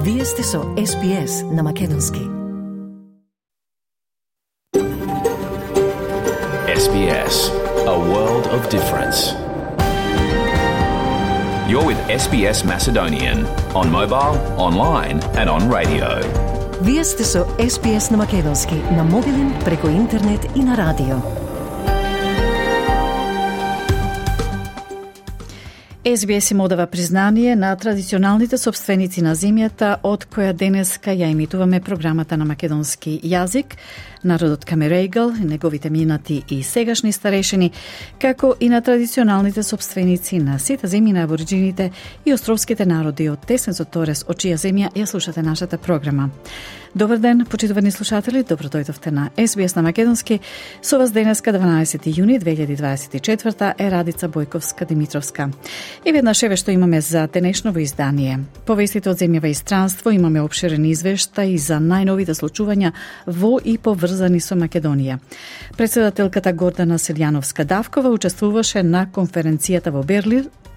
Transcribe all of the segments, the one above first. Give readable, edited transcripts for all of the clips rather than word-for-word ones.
Вие сте со SBS на Македонски. SBS, a world of difference. You're with SBS Macedonian on mobile, online and on radio. Вие сте со SBS на Македонски на мобилен, преку интернет и на радио. SBS им одава признание на традиционалните собственици на земјата, од која денеска ја емитуваме програмата на македонски јазик, народот Камерејгал, неговите минати и сегашни старешини, како и на традиционалните собственици на сите земји на абориджините и островските народи од Тесенцот Торес, од чија земја ја слушате нашата програма. Добар ден, почитувани слушатели, добро дојдовте на SBS на Македонски. Со вас денеска 12 јуни 2024 е Радица Бојковска-Димитровска. И веднаш еве што имаме за денешново издание. По вестите од земјава и странство имаме обширен извештај за најновите случувања во и поврзани со Македонија. Председателката Гордана Силјановска-Давкова учествуваше на конференцијата во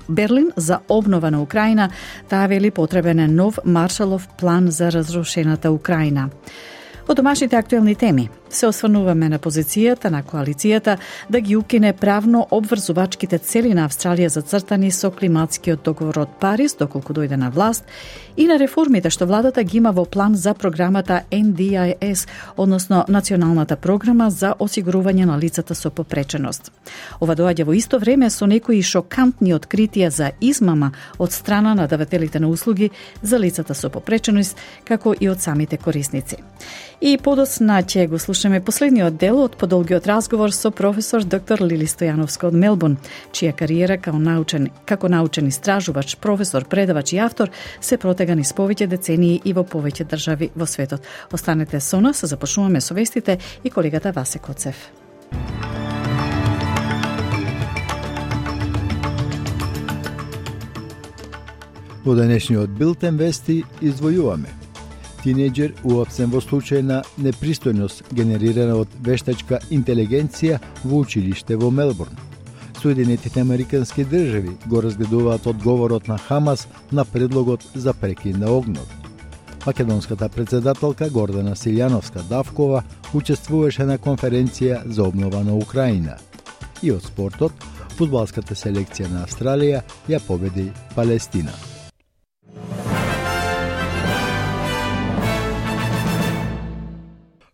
Берлин за обнова на Украина. Таа вели потребен е нов Маршалов план за разрушената Украина. Од домашните актуелни теми се осврнуваме на позицијата на коалицијата да ги укине правно обврзувачките цели на Австралија зацртани со климатскиот договор од Париз доколку дојде на власт и на реформите што владата ги има во план за програмата NDIS, односно Националната програма за осигурување на лицата со попреченост. Ова доаѓа во исто време со некои шокантни откритија за измама од страна на давателите на услуги за лицата со попреченост, како и од самите корисници. И подоцна ќе го слушаме последниот дел од подолгиот разговор со професор доктор Лили Стојановска од Мелбурн, чија кариера како научен истражувач, професор, предавач и автор се протега низ повеќе децении и во повеќе држави во светот. Останете со нас, започнуваме со вестите и колегата Васе Коцев. Во денешниот билтен вести издвојуваме. Тинејџер уапсен во случај на непристојност генерирана од вештачка интелигенција во училиште во Мелбурн. Соединетите американски држави го разгледуваат одговорот на Хамас на предлогот за прекин на огнот. Македонската председателка Гордана Силјановска-Давкова учествуваше на конференција за обнова на Украина. И од спортот, фудбалската селекција на Австралија ја победи Палестина.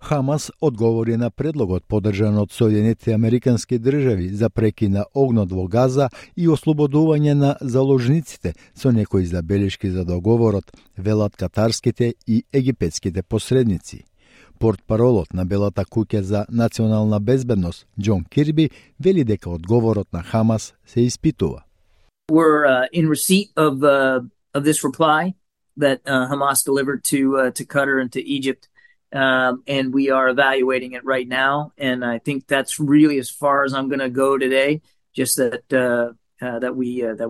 Хамас одговори на предлогот поддржан од Соединетите американски држави за прекин на огнот во Газа и ослободување на заложниците со некои забелешки за договорот, велат катарските и египетските посредници. Портпаролот на Белата куќа за национална безбедност Џон Кирби вели дека одговорот на Хамас се испитува. We're in receipt of this reply that Hamas delivered to Qatar and to Egypt. And we are evaluating it right now, and I think that's really as far as I'm going to go today. Just that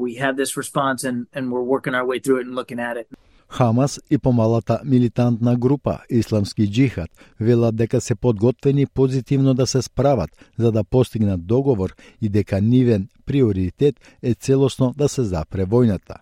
we have this response, and we're working our way through it and looking at it. Хамас и помалата милитантна група Исламски џихад велат дека се подготвени позитивно да се справат за да постигнат договор и дека нивен приоритет е целосно да се запре војната.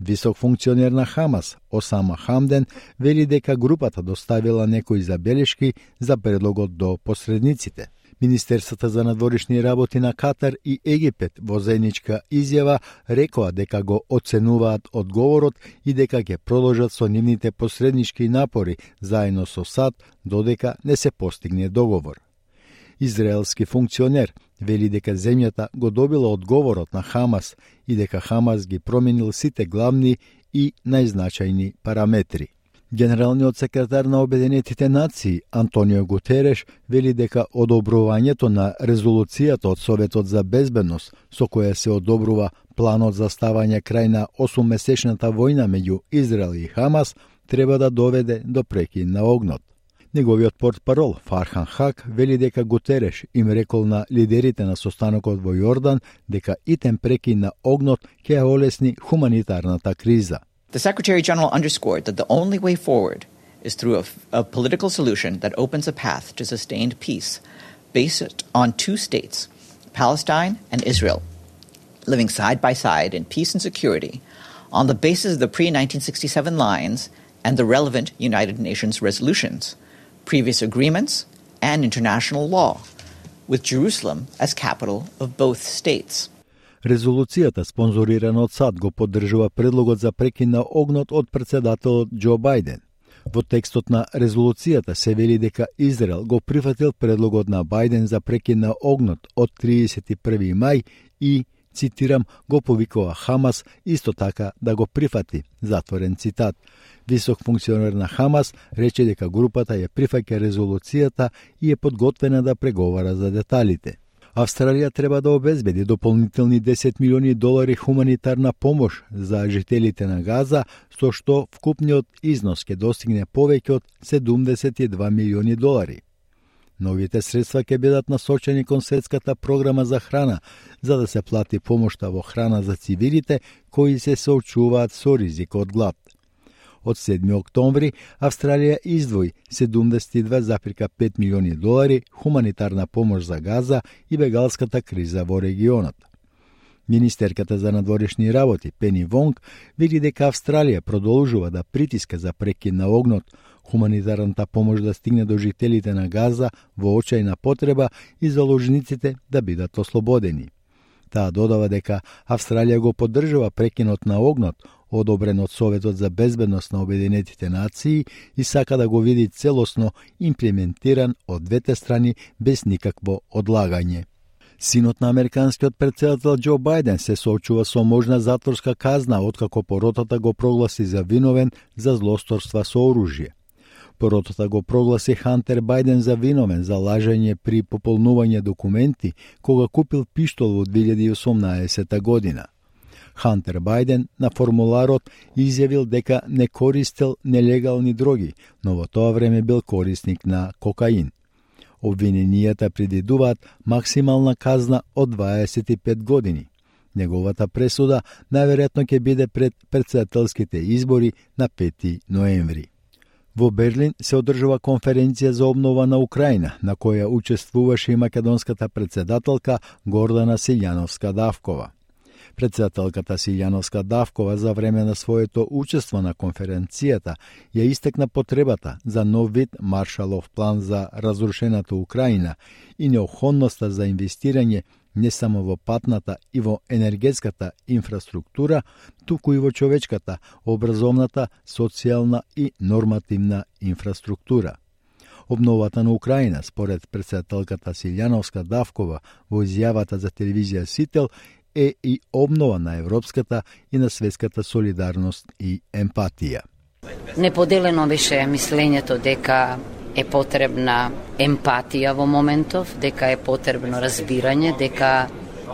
Висок функционер на Хамас, Осама Хамден, вели дека групата доставила некои забелешки за предлогот до посредниците. Министерството за надворешни работи на Катар и Египет во заедничка изјава рекоа дека го оценуваат одговорот и дека ќе продолжат со нивните посреднички напори заедно со САД додека не се постигне договор. Израелски функционер вели дека земјата го добила одговорот на Хамас и дека Хамас ги променил сите главни и најзначајни параметри. Генералниот секретар на Обединетите нации Антонио Гутереш вели дека одобрувањето на резолуцијата од Советот за безбедност со која се одобрува планот за ставање крај на 8-месечната војна меѓу Израел и Хамас треба да доведе до прекин на огнот. Неговиот портпарол Фархан Хак вели дека Гутереш им рекол на лидерите на состанокот во Јордан дека итен прекин на огнот ќе ја олесни хуманитарната криза. The Secretary General underscored that the only way forward is through a political solution that opens a path to sustained peace based on two states, Palestine and Israel, living side by side in peace and security on the basis of the pre-1967 lines and the relevant United Nations resolutions, previous agreements, and international law, with Jerusalem as capital of both states. Резолуцијата, спонзорирана од САД, го поддржува предлогот за прекин на огнот од председателот Џо Бајден. Во текстот на резолуцијата се вели дека Израел го прифатил предлогот на Бајден за прекин на огнот од 31. мај и, цитирам, го повикува Хамас исто така да го прифати, затворен цитат. Висок функционер на Хамас рече дека групата ја прифаќа резолуцијата и е подготвена да преговара за деталите. Австралија треба да обезбеди дополнителни $10 милиони хуманитарна помош за жителите на Газа, со што вкупниот износ ќе достигне повеќе од $72 милиони. Новите средства ќе бидат насочени кон светската програма за храна, за да се плати помошта во храна за цивилите кои се соочуваат со ризик од глад. Од 7 октомври Австралија издвои $72,5 милиони хуманитарна помош за Газа и бегалската криза во регионот. Министерката за надворешни работи Пени Вонг вели дека Австралија продолжува да притиска за прекин на огнот, хуманитарната помош да стигне до жителите на Газа во очајна потреба и заложниците да бидат ослободени. Таа додава дека Австралија го поддржува прекинот на огнот, одобрен од Советот за безбедност на Обединетите нации, и сака да го види целосно имплементиран од двете страни без никакво одлагање. Синот на американскиот претседател Џо Бајден се соочува со можна затворска казна откако поротата го прогласи за виновен за злосторства со оружје. Поротата го прогласи Хантер Бајден за виновен за лажење при пополнување документи кога купил пиштол во 2018 година. Хантер Бајден на формуларот изјавил дека не користел нелегални дроги, но во тоа време бил корисник на кокаин. Обвиненијата предвидуваат максимална казна од 25 години. Неговата пресуда најверојатно ќе биде пред претседателските избори на 5 ноември. Во Берлин се одржува конференција за обнова на Украина, на која учествуваше и македонската претседателка Гордана Силјановска-Давкова. Претседателката Силјановска-Давкова за време на своето учество на конференцијата ја истекна потребата за нов вид Маршалов план за разрушената Украина и необходноста за инвестирање не само во патната и во енергетската инфраструктура, туку и во човечката, образовната, социјална и нормативна инфраструктура. Обновата на Украина, според претседателката Силјановска-Давкова во изјавата за телевизија Сител, е и обнова на европската и на светската солидарност и емпатија. Неподелено беше мислењето дека е потребна емпатија во моментов, дека е потребно разбирање, дека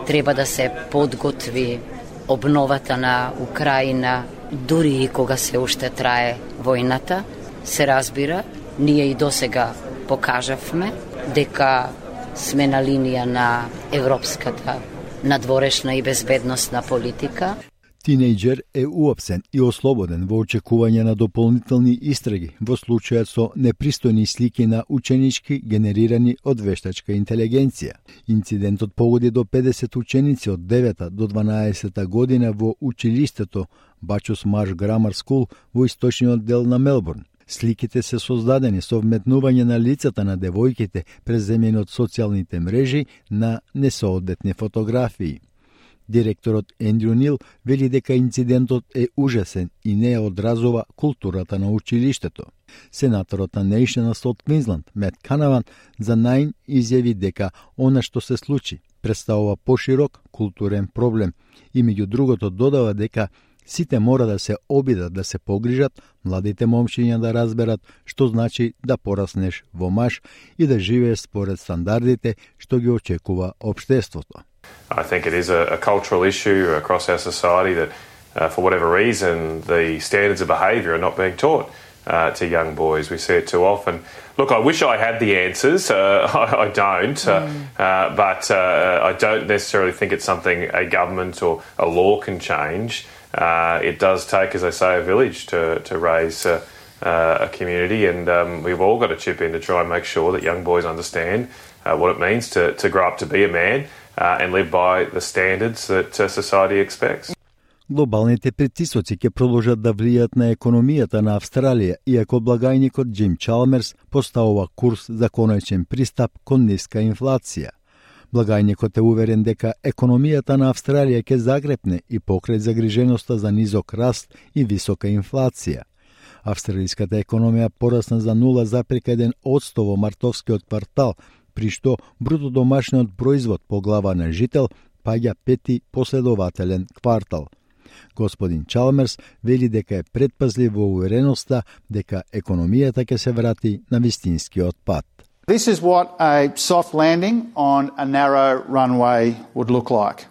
треба да се подготви обновата на Украина, дури и кога се уште трае војната. Се разбира, ние и досега покажавме дека сме на линија на европската надворешна и безбедносна политика. Тинејџер е уапсен и ослободен во очекување на дополнителни истраги во случајот со непристојни слики на ученички генерирани од вештачка интелигенција. Инцидентот погоди до 50 ученици од 9 до 12 година во училиштето Бачус Марш Грамар Скул во источниот дел на Мелбурн. Сликите се создадени со вметнување на лицата на девојките преземени од социјалните мрежи на несоодветни фотографии. Директорот Ендрю Нил вели дека инцидентот е ужасен и не одразува културата на училиштето. Сенаторот на Nationals од Квинсленд, Мет Канаван, за Nine изјави дека она што се случи представува поширок културен проблем и меѓу другото додава дека сите мора да се обидат да се погрижат, младите момчиња да разберат што значи да пораснеш во маж и да живееш според стандардите што ги очекува општеството. I think it is a cultural issue across our society that for whatever reason the standards of behaviour are not being taught to young boys. We see it too often. Look, I wish I had the answers. I don't. But I don't necessarily think it's something a government or a law can change. It does take, as I say, a village to raise a community, and we've all got to chip in to try and make sure that young boys understand what it means to grow up to be a man and live by the standards that society expects. Глобалните притисоци ќе продолжат да влијат на економијата на Австралија, иако благајникот Джим Чалмерс поставува курс за конечен пристап кон ниска инфлација. Благајникот е уверен дека економијата на Австралија ќе загрепне и покрај загриженоста за низок раст и висока инфлација. Австралиската економија порасна за 0,1% во мартовскиот квартал, при што бруто домашниот производ по глава на жител паѓа пети последователен квартал. Господин Чалмерс вели дека е предпазлив во увереноста дека економијата ќе се врати на вистинскиот пат. This is what a soft landing on a narrow runway would look like.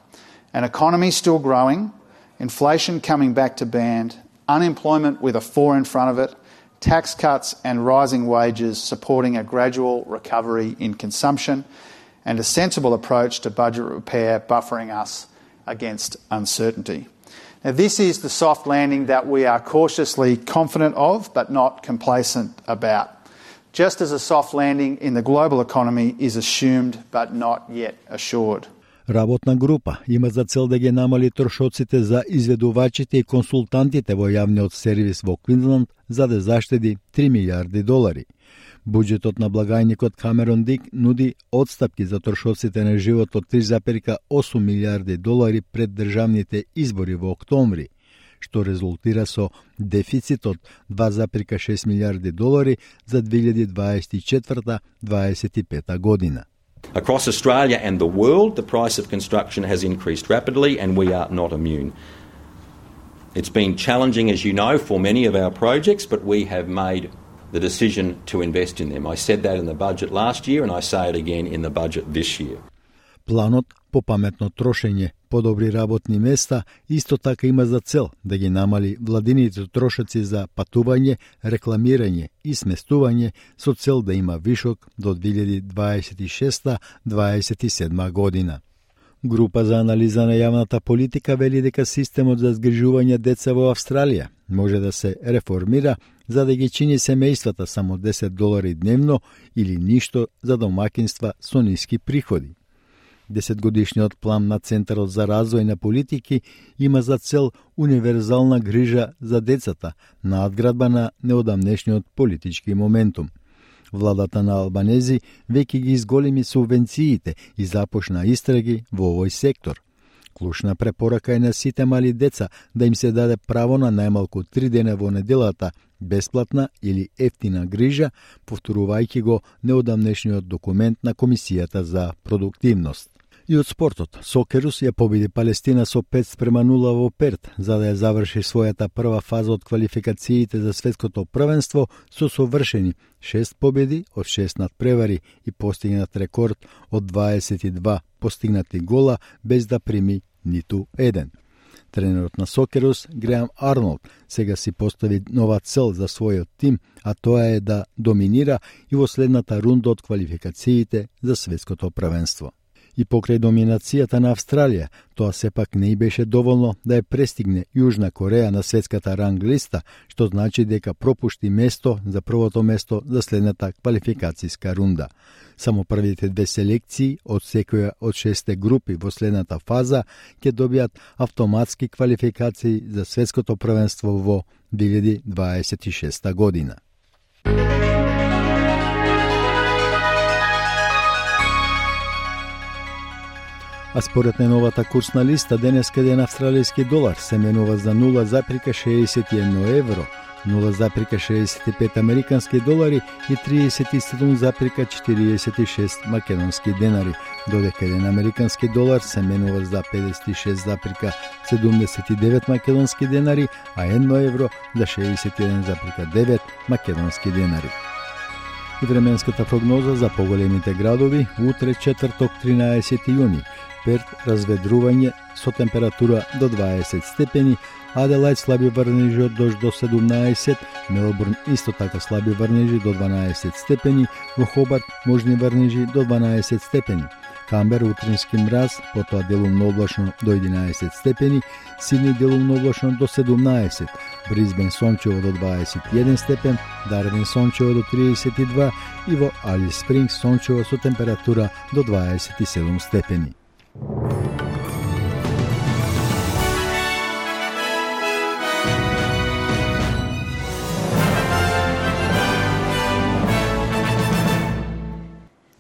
An economy still growing, inflation coming back to band, unemployment with a 4 in front of it, tax cuts and rising wages supporting a gradual recovery in consumption, and a sensible approach to budget repair buffering us against uncertainty. Now, this is the soft landing that we are cautiously confident of, but not complacent about. Just as a soft landing in the global economy is assumed, but not yet assured. Работна група има за цел да ги намали трошоците за изведувачите и консултантите во јавниот сервис во Квинсленд за да заштеди $3 милиарди. Буџетот на благајникот Камерон Дик нуди отстапки за трошоците на живот од $3,8 милиарди пред државните избори во октомври, што резултира со дефицит од $2,6 милиарди за 2024-2025 година. Across Australia and the world, the price of construction has increased rapidly and we are not immune. It's been challenging, as you know, for many of our projects, but we have made the decision to invest in them. I said that in the budget last year and I say it again in the budget this year. Планот по паметно трошење, подобри работни места, исто така има за цел да ги намали владините трошоци за патување, рекламирање и сместување со цел да има вишок до 2026-2027 година. Група за анализа на јавната политика вели дека системот за згрижување деца во Австралија може да се реформира за да ги чини семејствата само $10 дневно или ништо за домакинства со ниски приходи. 10-годишниот план на Центарот за развој на политики има за цел универзална грижа за децата, надградба на неодамнешниот политички моментум. Владата на Албанези веќе ги изголеми субвенциите и започна истраги во овој сектор. Клучна препорака е на сите мали деца да им се даде право на најмалку 3 дена во неделата бесплатна или ефтина грижа, повторувајќи го неодамнешниот документ на Комисијата за продуктивност. И од спортот, Сокерус ја победи Палестина со 5-0 во Перт, за да ја заврши својата прва фаза од квалификациите за светското првенство со совршени 6 победи од 6 надпревари и постигнат рекорд од 22 постигнати гола без да прими ниту еден. Тренерот на Сокерус, Греам Арнолд, сега си постави нова цел за својот тим, а тоа е да доминира и во следната рунда од квалификациите за светското првенство. И покрај доминацијата на Австралија, тоа сепак не и беше доволно да ја престигне Јужна Кореја на светската ранг листа, што значи дека пропушти место за првото место за следната квалификацијска рунда. Само првите 2 селекции од секоја од 6 групи во следната фаза ќе добијат автоматски квалификации за светското првенство во 2026 година. А според најновата курсна листа, денеска еден австралијски долар се менува за 0,61 евро, 0,65 американски долари и 37,46 македонски денари, додека еден американски долар се менува за 56,79 македонски денари, а 1 евро за 61,9 македонски денари. И временската прогноза за поголемите градови утре четврток 13 јуни. Перт разведрување со температура до 20 степени, Аделајд слаби врнежи од дожд до 17, Мелбурн исто така слаби врнежи до 12 степени, во Хобарт можни врнежи до 12 степени, Камбер утрински мраз, потоа делумно облачно до 11 степени, Сидни делумно облачно до 17, Брисбен сончево до 21 степен, Дарвин сончево до 32 и во Алис Спрингс сончево со температура до 27 степени.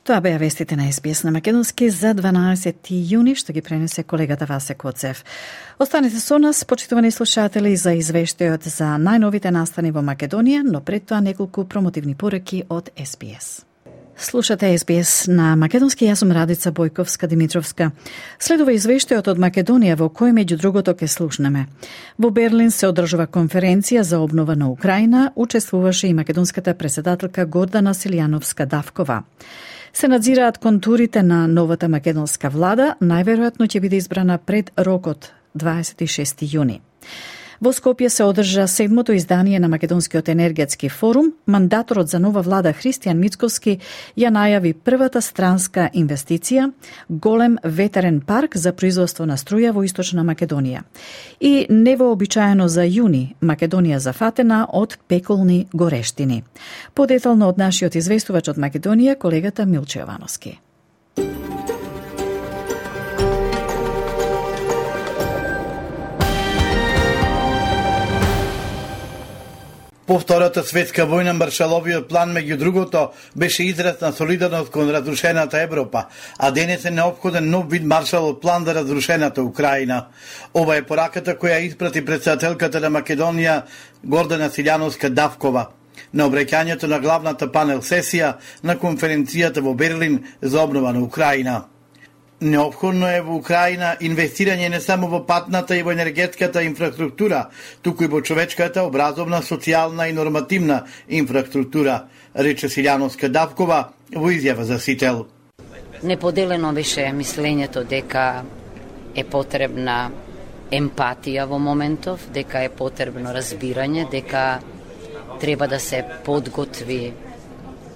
Тоа беа вестите на СБС на Македонски за 12 јуни, што ги пренесе колегата Васе Коцев. Останете со нас, почитувани слушатели, за извештајот за најновите настани во Македонија, но пред тоа неколку промотивни пораки од СБС. Слушате СБС на Македонски, јас сум Радица Бојковска-Димитровска. Следува извештајот од Македонија во кој меѓу другото ке слушнеме. Во Берлин се одржува конференција за обнова на Украина, учествуваше и македонската председателка Гордана Силјановска-Давкова. Се надзираат контурите на новата македонска влада, најверојатно ќе биде избрана пред рокот 26 јуни. Во Скопје се одржа 7-то издание на Македонскиот енергетски форум. Мандаторот за нова влада Христијан Мицкоски ја најави првата странска инвестиција, голем ветерен парк за производство на струја во Источна Македонија. И невообичаено за јуни, Македонија зафатена од пеколни горештини. Подетално од нашиот известувач од Македонија, колегата Милче Јовановски. По Втората светска војна Маршаловиот план меѓу другото беше израз на солидарност кон разрушената Европа, а денес е неопходен нов вид Маршалов план за разрушената Украина. Ова е пораката која испрати председателката на Македонија Гордана Силјановска-Давкова на обраќањето на главната панел сесија на конференцијата во Берлин за обнова на Украина. Неопходно е во Украина инвестирање не само во патната и во енергетската инфраструктура, туку и во човечката, образовна, социјална и нормативна инфраструктура, рече Силјановска-Давкова во изјава за Сител. Неподелено беше мислењето дека е потребна емпатија во моментов, дека е потребно разбирање, дека треба да се подготви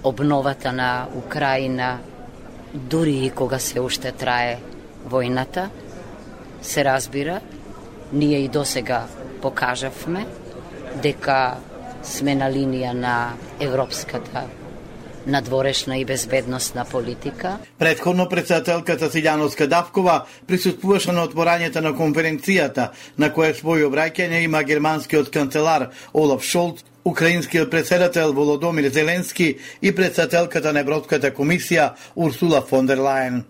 обновата на Украина, дури и кога се уште трае војната. Се разбира, ние и досега покажавме дека сме на линија на европската надворешна и безбедносна политика. Претходно председателката Силјановска-Давкова присуствуваше на отворањето на конференцијата, на која свој обраќање има германскиот канцелар Олаф Шолц, украинскиот председател Володомир Зеленски и председателката на Европската комисија Урсула фон дер Лајен.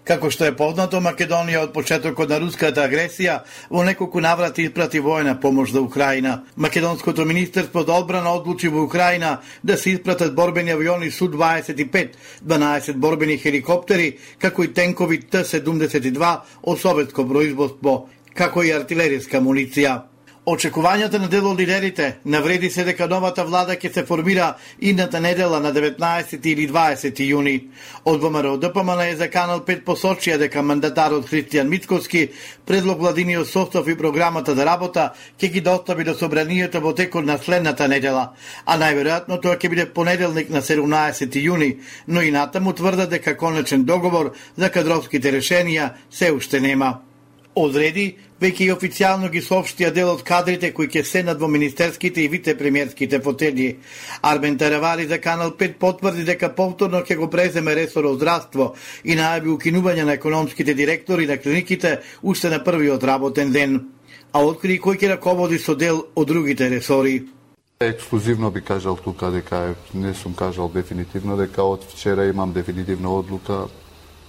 Како што е познато, Македонија од почетокот на руската агресија во неколку наврати испрати војна помош за Украина. Македонското министерство за одбрана одлучи во Украина да се испратат борбени авиони Су-25, 12 борбени хеликоптери, како и тенкови Т-72 од советско производство, како и артилериска муниција. Очекувањата на дел од лидерите навреди се дека новата влада ќе се формира идната недела на 19 или 20 јуни. Од ВМРО ДПМН е за Канал 5 посочија дека мандатарот Христијан Мицкоски предлог владиниот состав и програмата за работа ќе ги достави до собранието во текот на следната недела, а најверојатно тоа ќе биде понеделник на 17 јуни, но и натаму тврдат дека конечен договор за кадровските решенија се уште нема. Одреди, веќе и официјално ги соопштија дел од кадрите кои ќе седнат во министерските и вице-премиерските фотели. Армен Таравари за Канал 5 потврди дека повторно ќе го преземе ресорот здравство и најави укинување на економските директори на клиниките уште на првиот работен ден. А откри кој ќе раководи со дел од другите ресори. Ексклузивно би кажал тука дека не сум кажал дефинитивно дека од вчера имам дефинитивна одлука,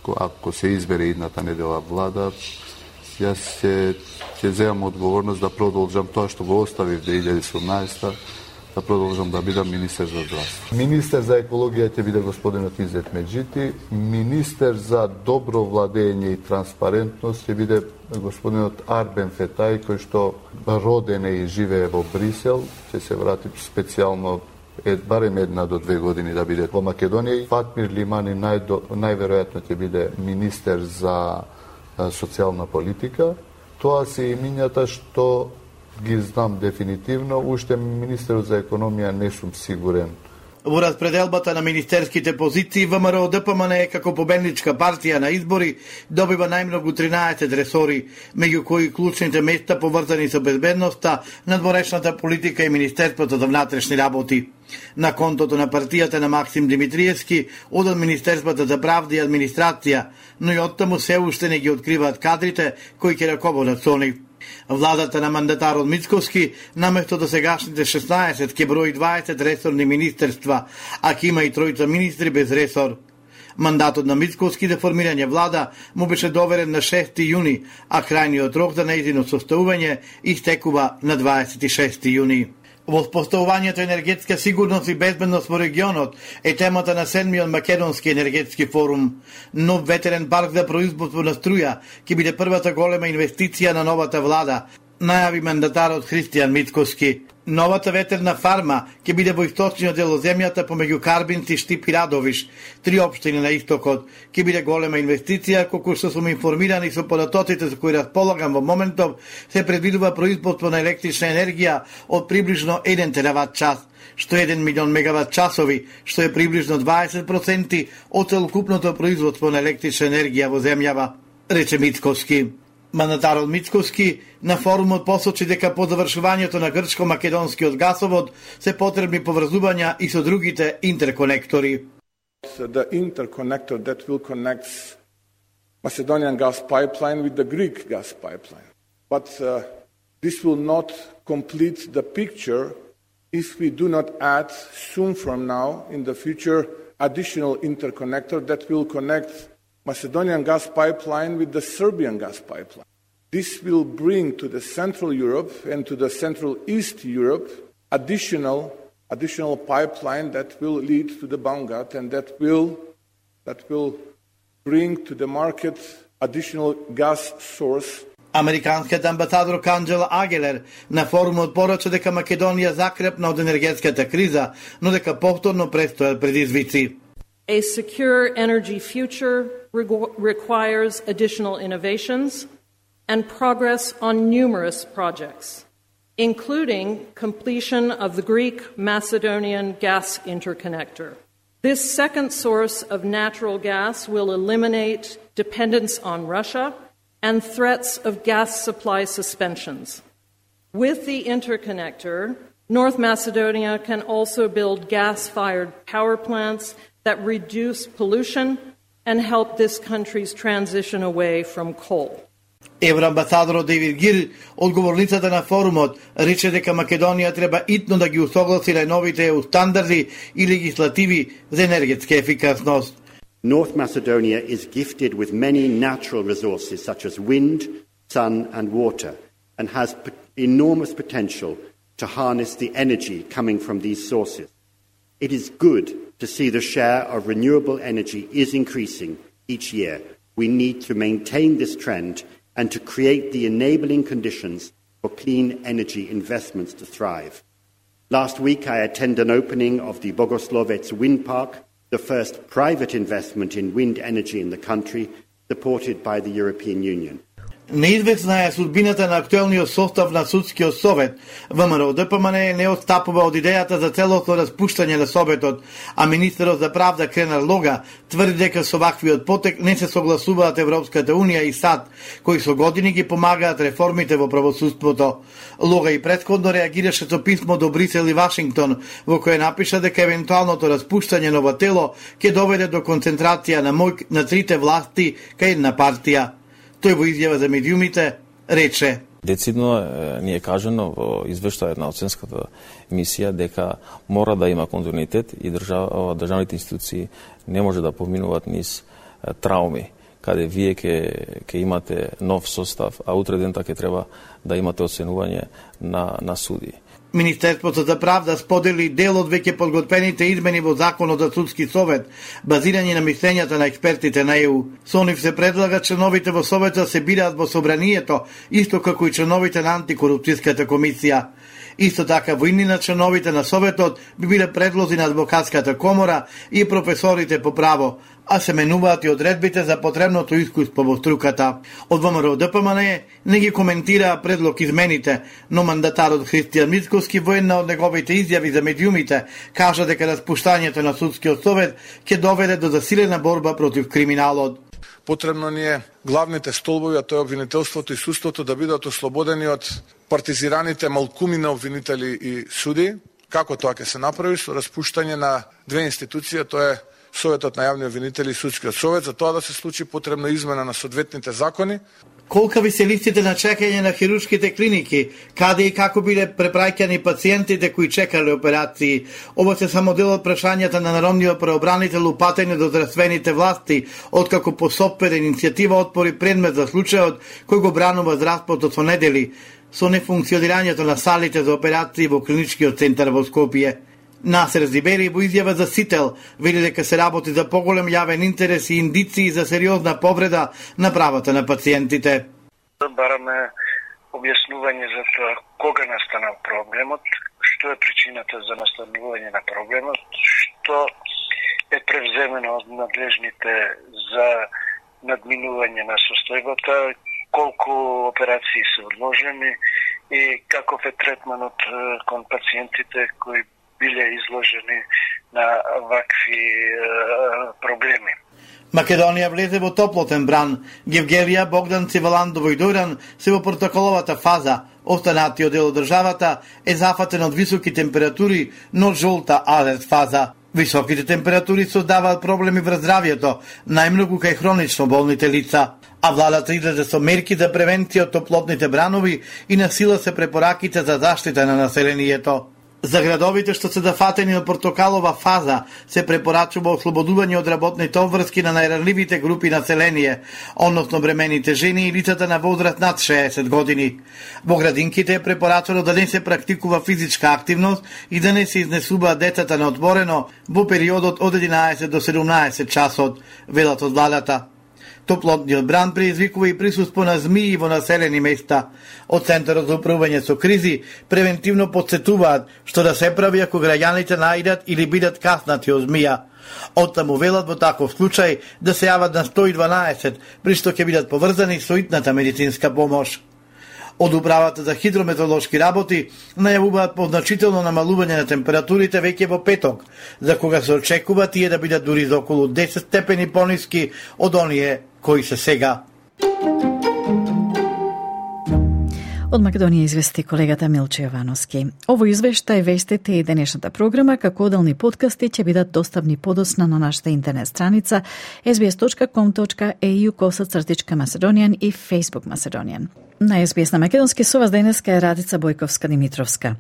ако се избере идната недела влада, јас ќе земам одговорност да продолжам тоа што го оставив 2018, да продолжам да бидам министер за здравство. Министер за екологија ќе биде господинот Изет Меджити, министер за добро владење и транспарентност ќе биде господинот Арбен Фетај, кој што роден е и живее во Брисел, ќе се врати специјално барем 1 до 2 години да биде во Македонија. Фатмир Лимани најверојатно ќе биде министер за социјална политика. Тоа се имињата што ги знам дефинитивно, уште министерот за економија не сум сигурен. Во распределбата на министерските позиции, ВМРО ДПМН е како победничка партија на избори добива најмногу 13 ресори, меѓу кои клучните места поврзани со безбедноста, надворешната политика и Министерството за внатрешни работи. На контото на партијата на Максим Димитриевски одат Министерството за правда и администрација, но и оттаму се уште не ги откриваат кадрите кои ќе раководат со нив. Владата на мандатарот Мицкоски наместо до сегашните 16 ќе брои 20 ресорни министерства, а ќе има и тројца министри без ресор. Мандатот на Мицкоски за формирање влада му беше доверен на 6 јуни, а крајниот рок за нејзино составување истекува на 26 јуни. Во споставувањето енергетска сигурност и безбедност во регионот е темата на 7-миот македонски енергетски форум. Нов ветерен парк за производство на струја ќе биде првата голема инвестиција на новата влада, најави мандатарот Христијан Мицкоски. Новата ветерна фарма ќе биде во источниот дел од земјата помеѓу Карбинци, Штип и Радовиш, 3 општини на истокот. Ќе биде голема инвестиција, колку што сум информирани со податоците за кои располагам во моментов, се предвидува производство на електрична енергија од приближно 1 терават час, што е 1 милион мегават часови, што е приближно 20% од целокупното производство на електрична енергија во земјава, рече Мицкоски. Мандатарот Мицкоски на форумот посочи дека по завршувањето на грчко-македонскиот гасовод се потребни поврзувања и со другите интерконектори. The interconnector that will connect Macedonian gas pipeline with the Greek gas pipeline. But this will not complete the picture if we do not add soon from now in the future additional interconnector that will connect Macedonian gas pipeline with the Serbian gas pipeline. This will bring to the Central Europe and to the Central East Europe additional pipeline that will lead to the Bangat and that will bring to the market additional gas source. Американскиот амбасадор Канџела Агелер на форумот порача дека Македонија закрепна од енергетската криза, но дека повторно престојат предизвици. A secure energy future requires additional innovations and progress on numerous projects, including completion of the Greek-Macedonian gas interconnector. This second source of natural gas will eliminate dependence on Russia and threats of gas supply suspensions. With the interconnector, North Macedonia can also build gas-fired power plants that reduce pollution and help this country's transition away from coal. Евроамбасадорот Дейвид Гир, одговорницата на форумот, рече дека Македонија треба итно да ги усогласи најновите EU стандарди и легислативи за енергетска ефикасност. North Macedonia is gifted with many natural resources such as wind, sun and water and has enormous potential to harness the energy coming from these sources. It is good to see the share of renewable energy is increasing each year. We need to maintain this trend and to create the enabling conditions for clean energy investments to thrive. Last week I attended an opening of the Bogoslovets wind park, the first private investment in wind energy in the country, supported by the European Union. Неизвестна е судбината на актуелниот состав на судскиот совет. ВМРО ДПМН не отстапува од идејата за целосно распуштање на советот, а министерот за правда Кренар Лога тврди дека со ваквиот потек не се согласуваат Европската унија и САД, кои со години ги помагаат реформите во правосудството. Лога и претходно реагираше со писмо до Брисел и Вашингтон, во кое напиша дека евентуалното распуштање на ова тело ќе доведе до концентрација на моќ на трите власти кај една партија. Тој во изјава за медиумите рече: Децидно ни е кажано во извештајот на оценската мисија дека мора да има континуитет и државните институции не може да поминуваат низ трауми, каде вие ќе имате нов состав, а утре дента ќе треба да имате оценување на суди. Министерството за правда сподели дел од веќе подготвените измени во Законот за судски совет, базирање на мислењата на експертите на ЕУ. Со нив се предлага членовите во советот се бираат во собранието, исто како и членовите на антикорупцијската комисија. Исто така во иднина членовите на советот би биле предлози на адвокатската комора и професорите по право, а се менуваат и одредбите за потребното искуство во струката. Од ВМРО ДПМН не ги коментираа предлог измените, но мандатарот Христијан Мицкоски во една од неговите изјави за медиумите кажа дека распуштањето на судскиот совет ќе доведе до засилена борба против криминалот. Потребно ни е главните столбови, а тоа е обвинителството и судството, да бидат ослободени од партизираните малкуми на обвинители и суди. Како тоа ќе се направи? Со распуштање на две институции, тоа е Советот на јавни обвинители и судскиот совет. За тоа да се случи потребна измена на соодветните закони. Колка ви се листите на чекање на хируршките клиники, каде и како биле препраќани пациентите кои чекале операции? Ова се само дел од прашањата на народниот преобранител упатени до здравствените власти, откако по собствена иницијатива отвори предмет за случајот кој го бранува здравството со недели со нефункционирањето на салите за операции во клиничкиот центар во Скопје. Насер Зибери во изјава за Сител вели дека се работи за поголем јавен интерес и индиции за сериозна повреда на правата на пациентите. Бараме објаснување за тоа кога настанал проблемот, што е причината за настанување на проблемот, што е превземено од надлежните за надминување на состојбата, колку операции се одложени и каков е третманот кон пациентите кои биле изложени на вакви проблеми. Македонија влезе во топлотен бран. Гевгелија, Богдан, Циваландово и Дојран се во протоколовата фаза. Останатиот дел од државата е зафатен од високи температури, но жолта алерт фаза. Високите температури создаваат проблеми врз здравјето, најмногу кај хронично болните лица. А владата излезе со мерки за превенција од топлотните бранови и насила се препораките за заштита на населението. За градовите што се зафатени од портокалова фаза се препорачува ослободување од работните обврски на најранливите групи население, односно бремените жени и лицата на возраст над 60 години. Во градинките е препорачено да не се практикува физичка активност и да не се изнесуваат децата на отворено во периодот од 11 до 17 часот, велат од владата. Топлотниот бран предизвикува и присуство на змии во населени места. Од Центарот за управување со кризи превентивно подсетуваат што да се прави ако граѓаните најдат или бидат каснати од змија. Оттаму велат во таков случај да се јават на 112, при што ќе бидат поврзани со итната медицинска помош. Од управата за хидрометеоролошки работи најавуваат позначително намалување на температурите веќе во петок, за кога се очекува тие да бидат дури за околу 10 степени пониски од оние кои се сега. Од Македонија извести колегата Милче Јовановски. Ово извештај, вестите и денешната програма, како оделни подкасти, ќе бидат достапни подоцна на нашата интернет страница sbs.com.au/Macedonian и Facebook Macedonian. На SBS на Македонски со вас денеска е Радица Бојковска-Димитровска.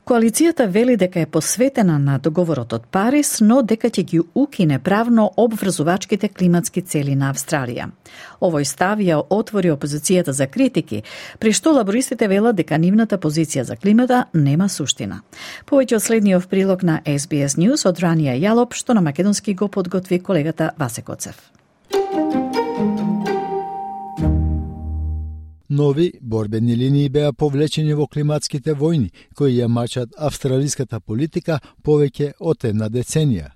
Коалицијата вели дека е посветена на договорот од Париз, но дека ќе ги укине правно обврзувачките климатски цели на Австралија. Овој став ја отвори опозицијата за критики, при што лабористите велат дека нивната позиција за климата нема суштина. Повеќе од следниот прилог на SBS News од Ранија Јалоп, што на македонски го подготви колегата Васе Коцев. Нови борбени линии беа повлечени во климатските војни, кои ја мачат австралиската политика повеќе од една деценија.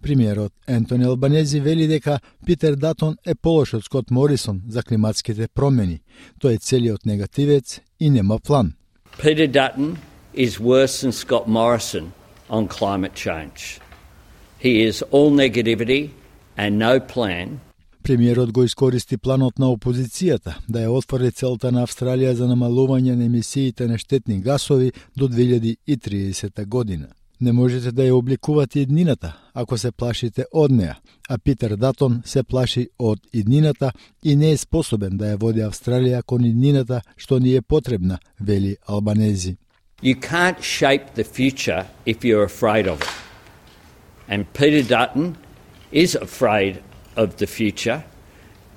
Премиерот Ентони Албанези вели дека Питер Датон е полош од Скот Морисон за климатските промени. Тој е целиот негативец и нема план. Peter Dutton is worse than Scott Morrison on climate change. He is all negativity and no plan. Премиерот го искористи планот на опозицијата да ја отвори целта на Австралија за намалување на емисиите на штетни гасови до 2030 година. Не можете да ја обликувате иднината ако се плашите од неа, а Питер Датон се плаши од иднината и не е способен да ја води Австралија кон иднината што ни е потребна, вели Албанези. You can't shape the future if you're afraid of it. And Peter Dutton is afraid of the future,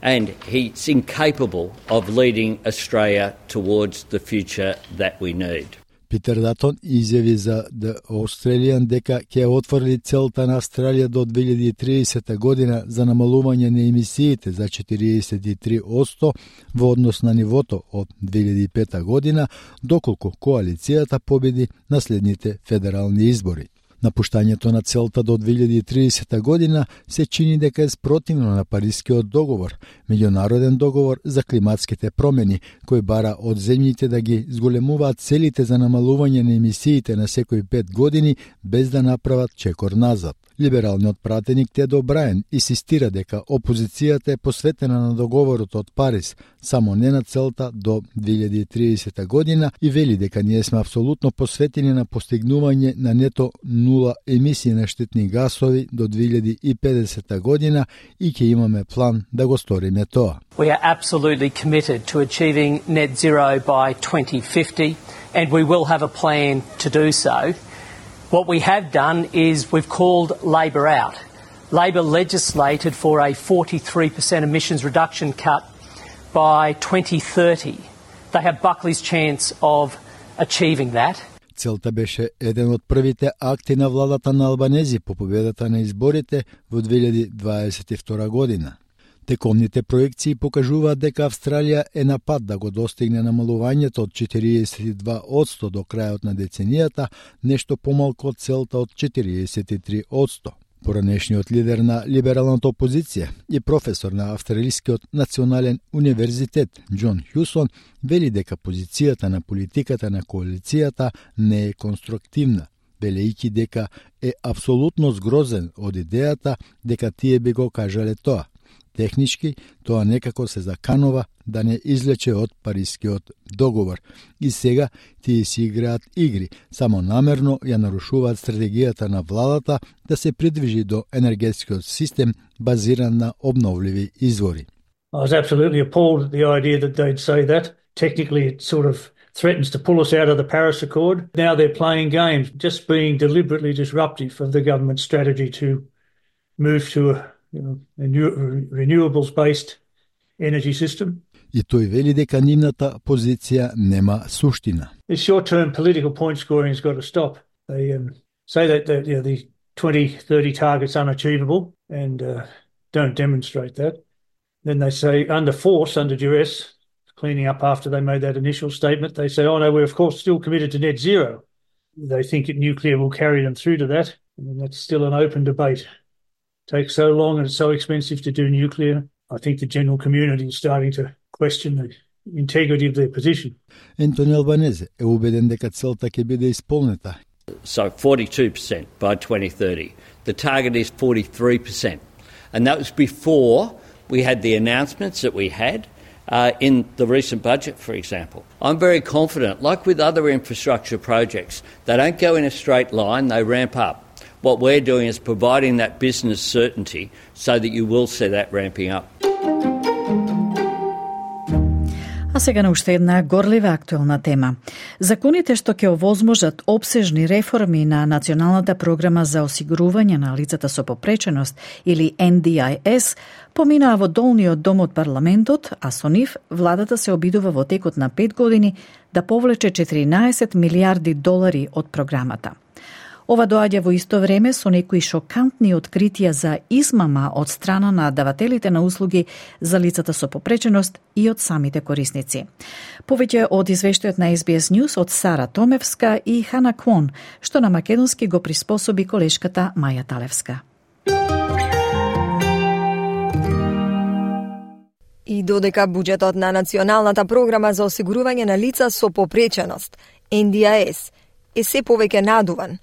and he's incapable of leading Australia towards the future that we need. Питер Датон изјави за The Australian дека ќе отвори целта на Австралија до 2030 година за намалување на емисиите за 43% во однос на нивото од 2005 година, доколку коалицијата победи на следните федерални избори. Напуштањето на целта до 2030 година се чини дека е спротивно на Парискиот договор, меѓународен договор за климатските промени, кој бара од земјите да ги зголемуваат целите за намалување на емисиите на секои 5 години без да направат чекор назад. Либералниот пратеник Тед О'Браен инсистира дека опозицијата е посветена на договорот од Париз, само не на целта до 2030 година и вели дека ние сме апсолутно посветени на постигнување на нето нула емисии на штетни гасови до 2050 година и ќе имаме план да го сториме тоа. We are absolutely committed to achieving net zero by 2050 and we will have a plan to do so. What we have done is we've called Labor out. Labor legislated for a 43% emissions reduction cut by 2030. They have Buckley's chance of achieving that. Целта беше еден од првите акти на владата на Албанези по победата на изборите во 2022 година. Текомните проекции покажуваат дека Австралија е на пат да го достигне намалувањето од 42% до крајот на деценијата, нешто помалку од целта од 43%. Поранешниот лидер на либералната опозиција и професор на Австралискиот национален универзитет Џон Хјусон вели дека позицијата на политиката на коалицијата не е конструктивна, велејќи дека е апсолутно згрозен од идејата дека тие би го кажале тоа. Технички, тоа некако се заканува да не излече од Парискиот договор. И сега тие си играат игри, само намерно ја нарушуваат стратегијата на владата да се придвижи до енергетскиот систем базиран на обновливи извори. I was absolutely appalled at the idea that they'd say that. Technically, it sort of threatens to pull us out of the Paris Accord. Now they're playing games, just being deliberately disruptive of the government's strategy to move to a renewables-based energy system. И тој вели дека нивната позиција нема суштина. The short-term political point scoring has got to stop. They say that the 2030 target's unachievable and don't demonstrate that. Then they say under force, under duress, cleaning up after they made that initial statement, they say, oh no, we're of course still committed to net zero. They think that nuclear will carry them through to that, and that's still an open debate. It takes so long and it's so expensive to do nuclear. I think the general community is starting to question the integrity of their position. Ентони Албанезе е убеден дека целта ќе биде исполнета. So 42% by 2030. The target is 43%. And that was before we had the announcements that we had in the recent budget, for example. I'm very confident, like with other infrastructure projects, they don't go in a straight line, they ramp up. What we're doing is providing that business certainty so that you will see that ramping up. А сега на уште една горлива актуелна тема. Законите што ќе овозможат обсежни реформи на Националната програма за осигурување на лицата со попреченост или NDIS поминаа во долниот дом од парламентот, а со нив владата се обидува во текот на 5 години да повлече 14 милиарди долари од програмата. Ова доаѓа во исто време со некои шокантни откритија за измама од страна на давателите на услуги за лицата со попреченост и од самите корисници. Повеќе од извештајот на SBS News од Сара Томевска и Хана Квон, што на македонски го приспособи колешката Маја Талевска. И додека буџетот на Националната програма за осигурување на лица со попреченост, NDIS, е се повеќе надуван,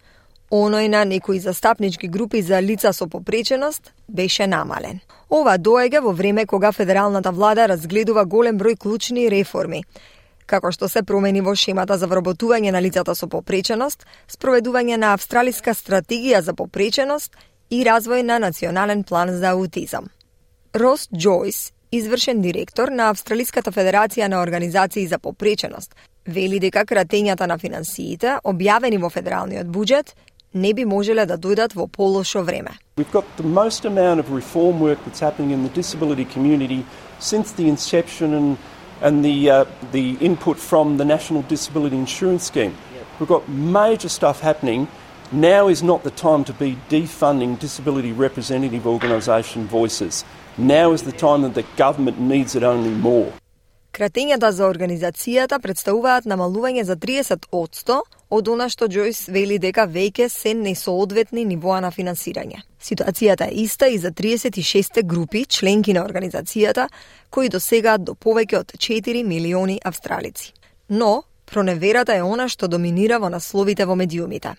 оној на некои застапнички групи за лица со попреченост беше намален. Ова доаѓа во време кога федералната влада разгледува голем број клучни реформи, како што се промени во шемата за вработување на лицата со попреченост, спроведување на австралиска стратегија за попреченост и развој на национален план за аутизам. Рос Џојс, извршен директор на Австралиската федерација на организации за попреченост, вели дека кратењата на финансиите, објавени во федералниот буџет, не би можеле да дојдат во полошо време. We've got the most amount of reform work that's happening in the disability community since the inception and the input from the National Disability Insurance Scheme. We've got major stuff happening. Now is not the time to be defunding disability representative organisation voices. Now is the time that the government needs it only more. Кратењата за организацијата представуваат намалување за 30% од она што Џојс вели дека веќе се несоодветни нивоа на финансирање. Ситуацијата е иста и за 36 групи членки на организацијата, кои досегаат до повеќе од 4 милиони австралици. Но проневерата е она што доминира во насловите во медиумите.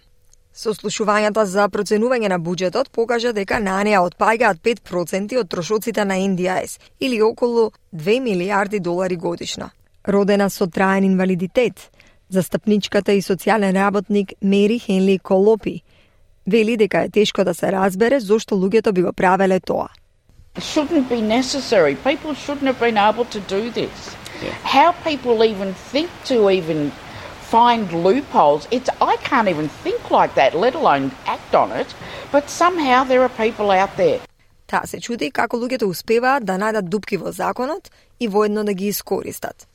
Сослушувањата за проценување на буџетот покажа дека на неа отпаѓаат 5% од трошоците на NDIS или околу 2 милиарди долари годишно. Родена со траен инвалидитет, застапничката и социјален работник Мери Хенли Колопи Вели дека е тешко да се разбере зошто луѓето би го правеле тоа. It shouldn't be necessary. People shouldn't have been able to do this. Yeah. How people even think to even find loopholes, I can't even think like that, let alone act on it, but somehow there are people out there. Таа се чуди како луѓето успеваат да најдат дупки во законот и воедно да ги искористат.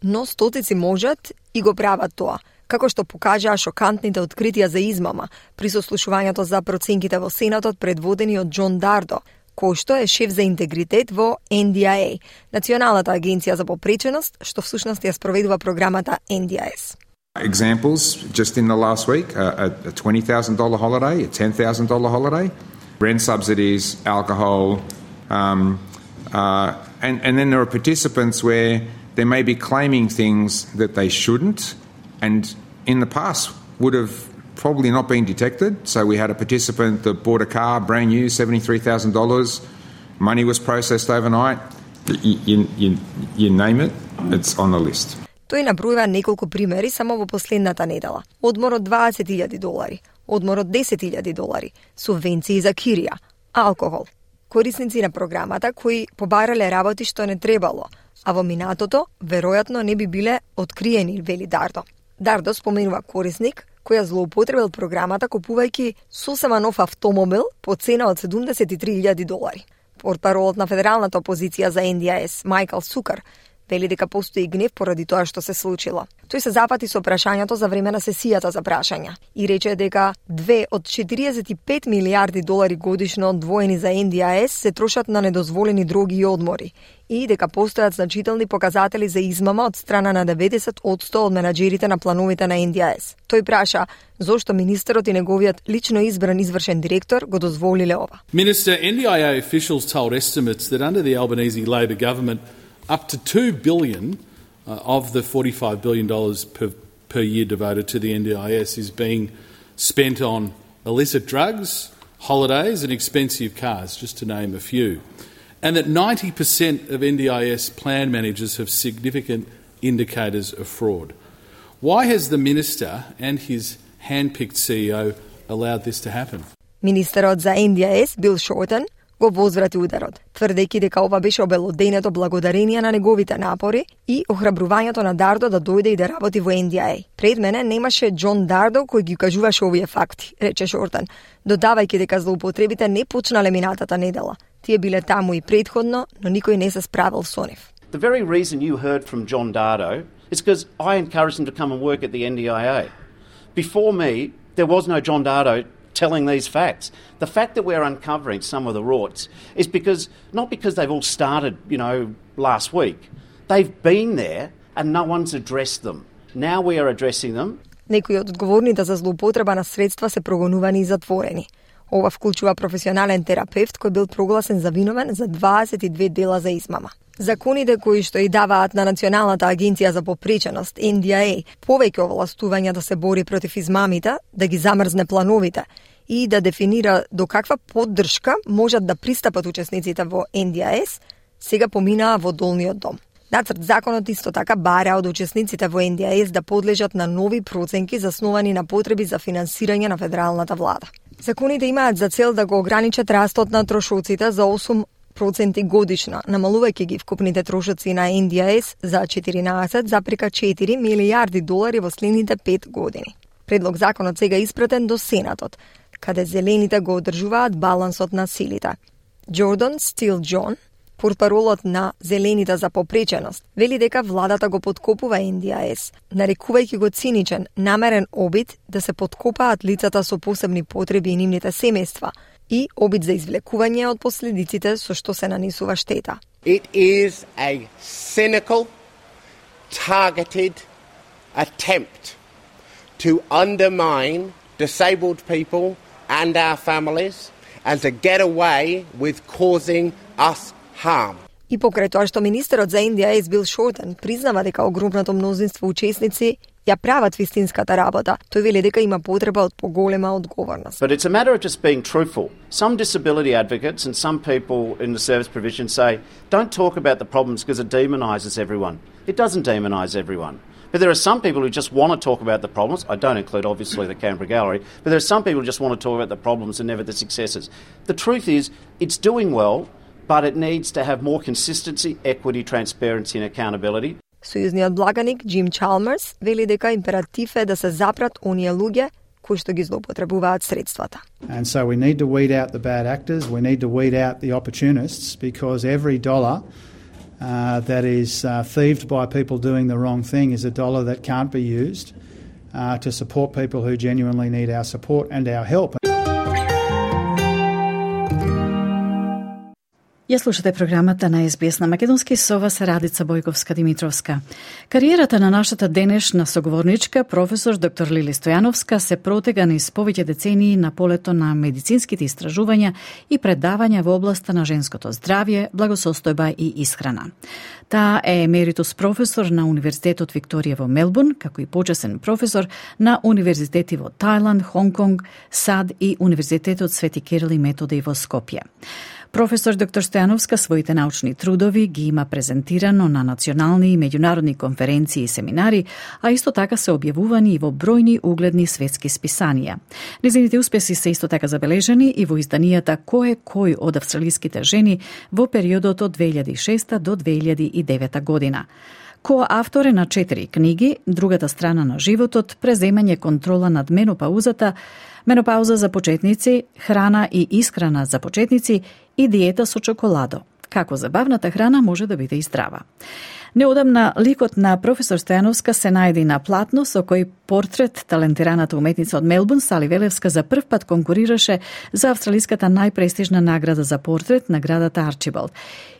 Но стотици можат и го прават тоа, како што покажаа шокантните откритија за измама при сослушувањето за проценките во Сенатот предводени од Џон Дардо, кој што е шеф за интегритет во NDIA, Националната агенција за попреченост, што всушност ја спроведува програмата NDIS. Examples, just in the last week, a $20,000 holiday, a $10,000 holiday, rent subsidies, alcohol, and then there are participants where they may be claiming things that they shouldn't, and in the past would have probably not been detected. So we had a participant that bought a car, brand new, $73,000, money was processed overnight, you name it, it's on the list. Тој набројува неколку примери само во последната недела. Одмор од $20,000, одмор од $10,000, субвенции за кирија, алкохол. Корисници на програмата кои побарале работи што не требало, а во минатото веројатно не би биле откриени, вели Дардо. Дардо споменува корисник кој ја злоупотребил програмата купувајќи сосема нов автомобил по цена од $73,000. Портпаролот на федералната опозиција за NDIS, Майкл Сукар, вели дека постои гнев поради тоа што се случило. Тој се запати со прашањето за време на сесијата за прашања и рече дека 2 од $45 милиарди годишно одвоени за NDIS се трошат на недозволени дроги и одмори и дека постојат значителни показатели за измама од страна на 90% од менаџерите на плановите на NDIS. Тој праша зошто министерот и неговиот лично избран извршен директор го дозволиле ова. Minister, NDIA officials told estimates that under the Albanese Labor government up to $2 billion of the $45 billion per year devoted to the NDIS is being spent on illicit drugs, holidays and expensive cars, just to name a few. And that 90% of NDIS plan managers have significant indicators of fraud. Why has the Minister and his hand-picked CEO allowed this to happen? Министерот за NDIS, Бил Шортон, го возврати ударот, тврдејќи дека ова беше обелоденето благодарение на неговите напори и охрабрувањето на Дардо да дојде и да работи во NDIA. Пред мене немаше Џон Дардо кој ги кажуваше овие факти, рече Шортон, додавајќи дека злоупотребите не почнале минатата недела. Тие биле таму и предходно, но никој не се справил со нив. The very reason you heard from Jon Dardo is because I encouraged him to come and work at the NDIA. Before me, there was no Jon Dardo telling these facts. The fact that we're uncovering some of the rorts is not because they've all started, last week. They've been there and no one's addressed them. Now we are addressing them. Некои од одговорните за злоупотреба на средства се прогонувани и затворени. Ова вклучува професионален терапевт кој бил прогласен за виновен за 22 дела за измама. Законите кои што и даваат на Националната агенција за попреченост, NDIA, повеќе овластувања да се бори против измамите, да ги замрзне плановите и да дефинира до каква поддршка можат да пристапат учесниците во NDIS, сега поминаа во долниот дом. Нацрт законот исто така бара од учесниците во NDIS да подлежат на нови проценки засновани на потреби за финансирање на федералната влада. Законите имаат за цел да го ограничат растот на трошоците за 8% годишно, намалувајќи ги вкупните трошоци на NDIS за $14,4 милиарди во следните 5 години. Предлог законот сега испратен до Сенатот, каде зелените го одржуваат балансот на силите. Джордан Стил Џон, портпаролот на Зелените за попреченост, вели дека владата го подкопува NDIS, нарекувајќи го циничен, намерен обид да се подкопаат лицата со посебни потреби и нивните семејства и обид за извлекување од последиците со што се нанесува штета. It is a cynical, targeted attempt to undermine disabled people and our families and to get away with causing us harm. И покрај тоа што министерот за NDIS Бил Шортон признава дека огромното мнозинство учесници ја прават вистинската работа, тој вели дека има потреба од поголема одговорност. But it's a matter of just being truthful. Some disability advocates and some people in the service provision say, don't talk about the problems because it demonizes everyone. It doesn't demonize everyone. But there are some people who just want to talk about the problems. I don't include, obviously, the Canberra Gallery, but there are some people who just want to talk about the problems and never the successes. The truth is, it's doing well, but it needs to have more consistency, equity, transparency and accountability. Сојузниот благаник Джим Чалмерс вели дека императив е да се запрат оние луѓе кои што ги злоупотребуваат средствата. And so we need to weed out the bad actors, we need to weed out the opportunists, because every dollar that is thieved by people doing the wrong thing is a dollar that can't be used to support people who genuinely need our support and our help. Ја слушате програмата на СБС на македонски, со вас Радица Бојковска-Димитровска. Кариерата на нашата денешна соговорничка, професор доктор Лили Стојановска, се протега низ повеќе децении на полето на медицинските истражувања и предавања во областа на женското здравје, благосостојба и исхрана. Таа е емеритус професор на Универзитетот Викторија во Мелбурн, како и почесен професор на универзитети во Тајланд, Хонг-Конг, САД и Универзитетот Свети Кирил и Методи во Скопје. Професор доктор Стојановска своите научни трудови ги има презентирано на национални и меѓународни конференции и семинари, а исто така се објавувани и во бројни угледни светски списанија. Незините успеси се исто така забележани и во изданијата Кој е кој од австралиските жени во периодот од 2006 до 2009 година. Коавтор е на 4 книги: Другата страна на животот, Преземање контрола над менопаузата, Менопауза за почетници, Храна и исхрана за почетници и Диета со чоколадо. Како забавната храна може да биде и здрава. Неодамна ликот на професор Стојановска се најде на платно, со кој портрет талентираната уметница од Мелбурн, Сали Велевска, за прв пат конкурираше за австралиската најпрестижна награда за портрет, наградата Арчибалд.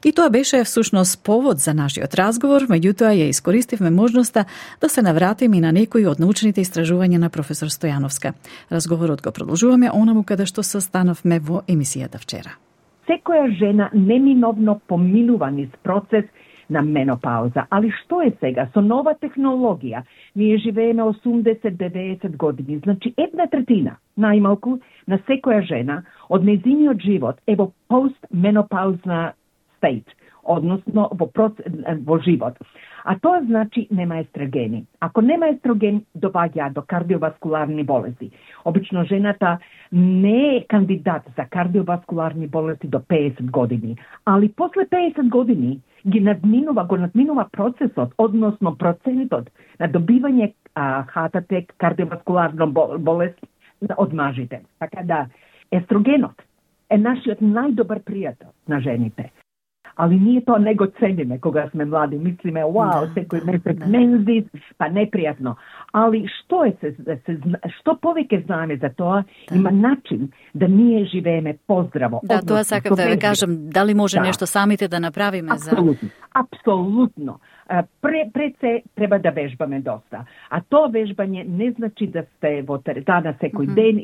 И тоа беше всушност повод за нашиот разговор, меѓутоа ја искористивме можноста да се навратиме и на некои од научните истражувања на професор Стојановска. Разговорот го продолжуваме онаму каде што се станавме во емисијата вчера. Секоја жена неминовно поминува низ процес на менопауза. Али што е сега? Со нова технологија ние живееме 80-90 години. Значи, 1/3, најмалку, на секоја жена од незиниот живот е во постменопаузна стейт, односно во живот. А тоа значи нема естрогени. Ако нема естроген, доваѓа до кардиоваскуларни болести. Обично жената не е кандидат за кардиоваскуларни болести до 50 години, али после 50 години го надминува процесот, односно процентот на добивање ХТТ, кардиоваскуларна болест од мажите. Така да, естрогенот е нашиот најдобар пријател на жените. Али ние тоа не го цениме кога сме млади. Мислиме, вау, секој месец мензис, па непријатно. Али што повеќе знаеме за тоа, има начин да ние живееме поздраво. Да, тоа сакам да ве кажам, дали може нешто самите да направиме Апсолутно. Апсолутно. Пред се треба да вежбаме доста. А тоа вежбање не значи да сте во теретана секој ден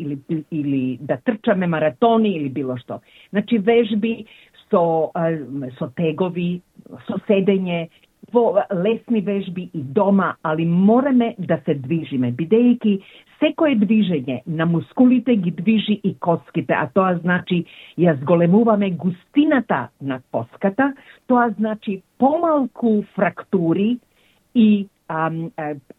или да трчаме маратони или било што. Значи вежби со тегови, со седење, во лесни вежби и дома, али мораме да се движиме, бидејќи секое движење на мускулите ги движи и коските, а тоа значи ја зголемуваме густината на коската, тоа значи помалку фрактури и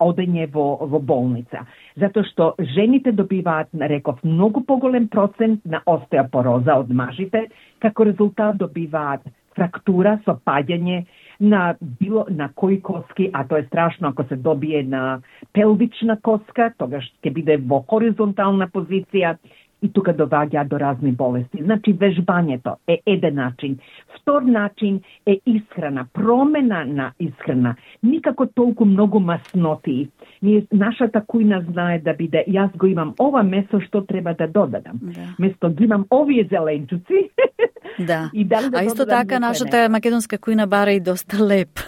одење во болница. Затоа што жените добиваат, реков, многу поголем процент на остеопороза од мажите, како резултат добиваат фрактура со паѓање на кои коски, а тоа е страшно ако се добие на пелвична коска, тогаш ќе биде во хоризонтална позиција и тука доваѓа до разни болести. Значи, вежбањето е еден начин. Втор начин е исхрана, промена на исхрана. Никако толку многу масноти. Нашата кујна знае да биде, јас го имам ова месо, што треба да додадам. Место ги имам овие зеленчуци. Да. А исто така нашата македонска кујна бара и доста леп.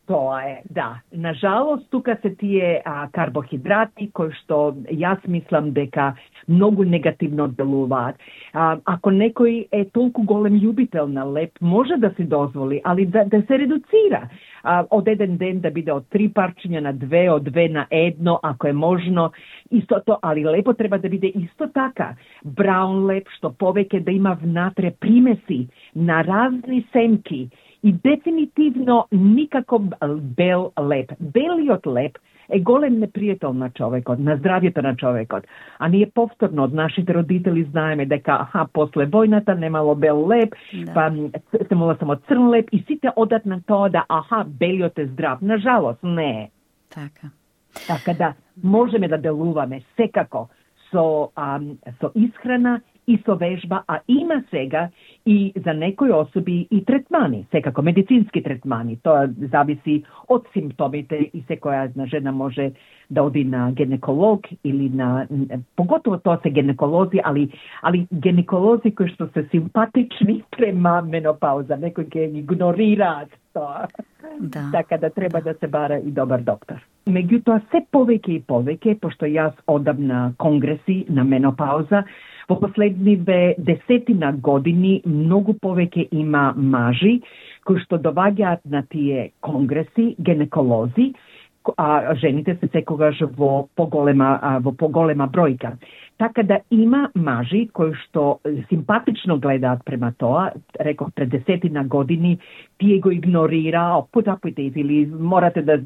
Тоа е, да. Нажалост, тука се тие карбохидрати, кои што јас мислам дека многу негативно делуваат. Ако некој е толку голем љубител на леп, може да си дозволи, али да се редуцира. Од еден ден да биде од 3 парчиња на 2, од 2 на 1, ако е можно. Истото, али лепо треба да биде исто така. Браун леп, што повеќе да има внатре примеси на разни семки И дефинитивно никако бел леп. Белиот леп е голем непријател на човекот, на здравјето на човекот. А ние повторно од нашите родители знаеме дека после војната немало бел леп, па имало само црн леп и сите одат на тоа да белиот е здрав. Нажалост, не е. Така да можеме да делуваме секако со исхрана и со вежба, а има сега и за некои особи и третмани, секако медицински третмани. Тоа зависи од симптомите и секоја една жена може да оди на гинеколог или на поготово тоа се гинеколози, али гинеколози кои што се симпатични према менопауза, некои ќе игнорираат тоа. Така да треба да се бара и добар доктор. Меѓутоа се повеќе и повеќе, пошто јас одам на конгреси на менопауза, во последниве 10 години многу повеќе има мажи кои што доваѓаат на тие конгреси, гинеколози, а жените се секогаш во поголема бројка. Така да има мажи кои што симпатично гледаат према тоа, реков пред 10 години, тие го игнорира, put up with it, или морате да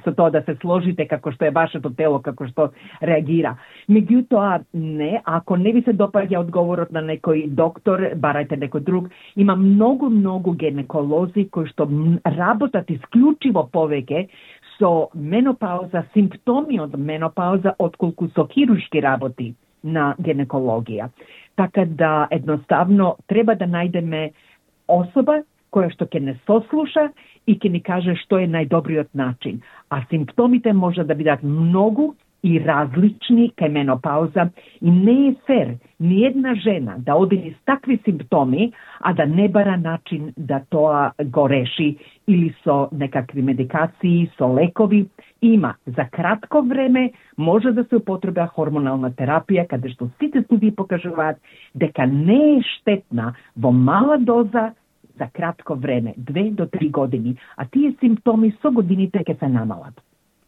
со тоа да се сложите како што е вашето тело, како што реагира. Меѓутоа, не, ако не ви се допаѓа одговорот на некој доктор, барајте некој друг. Има многу гинеколози кои што работат исклучиво повеќе со менопауза, симптоми од менопауза, отколку со хируршки работи на гинекологија. Така да, едноставно, треба да најдеме особа која што ќе не сослуша и ќе ни каже што е најдобриот начин. А симптомите може да бидат многу и различни кај менопауза и не е фер ни една жена да оди низ такви симптоми, а да не бара начин да тоа го реши или со некакви медикации, со лекови. Има за кратко време може да се употреба хормонална терапија, каде што сите студии покажуваат дека не е штетна во мала доза за кратко време, 2 до 3 години, а тие симптоми со годините ќе се намалат.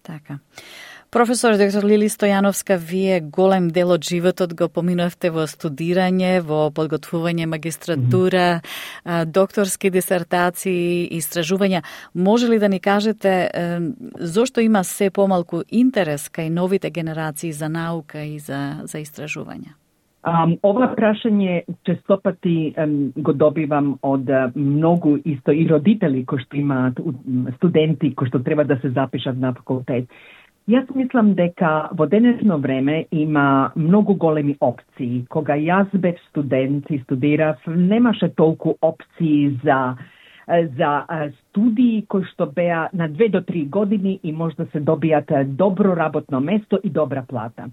Така. Професор доктор Лили Стојановска, вие голем дел од животот го поминавте во студирање, во подготвување магистратура, докторски дисертации, истражувања. Може ли да ни кажете зошто има се помалку интерес кај новите генерации за наука и за истражувања? Ова прашање честопати го добивам од многу исто и родители кои што имаат студенти кои што треба да се запишат на факултет. Јас мислам дека во денешно време има многу големи опции. Кога јас бев студент и студирав, немаше толку опции за студии кои што беа на 2 до 3 години и може да се добијат добро работно место и добра плата.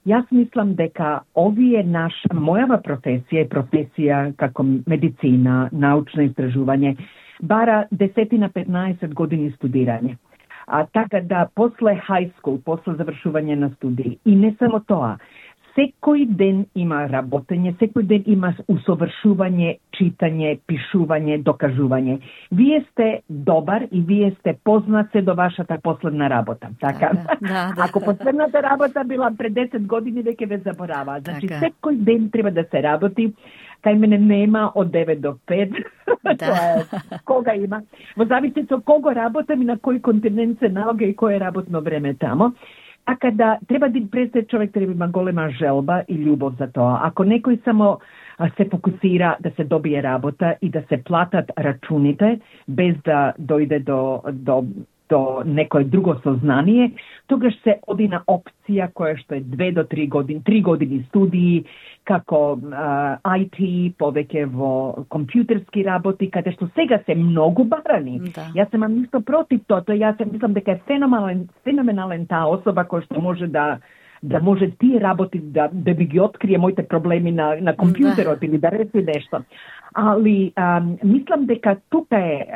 Јас мислам дека мојава професија е професија како медицина, научно истражување, бара 10-15 години студирање. Така да, после high school, после завршување на студии. И не само тоа. Секој ден има работење, секој ден има усовршување, читање, пишување, докажување. Вие сте добар и вие сте познат се до вашата последна работа. Така? Да. Ако последната работа била пред 10 години, веќе ве заборава. Значи, секој ден треба да се работи. Кај мене нема од 9 до 5. Кога има. Во зависи со кого работам и на кој континент се налога и кој е работно време тамо. Така да, треба да престе човек треба има голема желба и љубов за тоа. Ако некој само се фокусира да се добие работа и да се платат рачуните, без да дојде до некое друго сознание, тогаш се оди на опција која што е 2 до 3 години, 3 години студии, како IT, повеќе во компјутерски работи, каде што сега се многу барани. Да. Јас немам ништо против тоа, јас мислам дека е феноменален таа особа која што може да може тие работи да би ги открие моите проблеми на компјутерот или да реши нешто. Али мислам дека тука е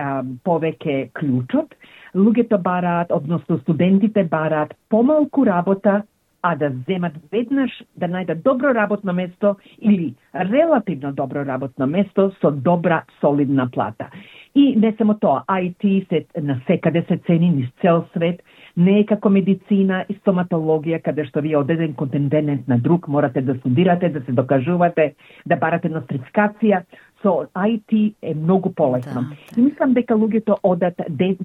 повеќе клучот. Луѓето бараат, односно студентите бараат помалку работа, а да земат веднаш да најдат добро работно место или релативно добро работно место со добра, солидна плата. И не само тоа, IT се насекаде се цени низ цел свет, не е како медицина и стоматологија, каде што вие од еден континент на друг морате да студирате, да се докажувате, да барате нострификација. со IT е многу полесно. И мислам дека луѓето одат,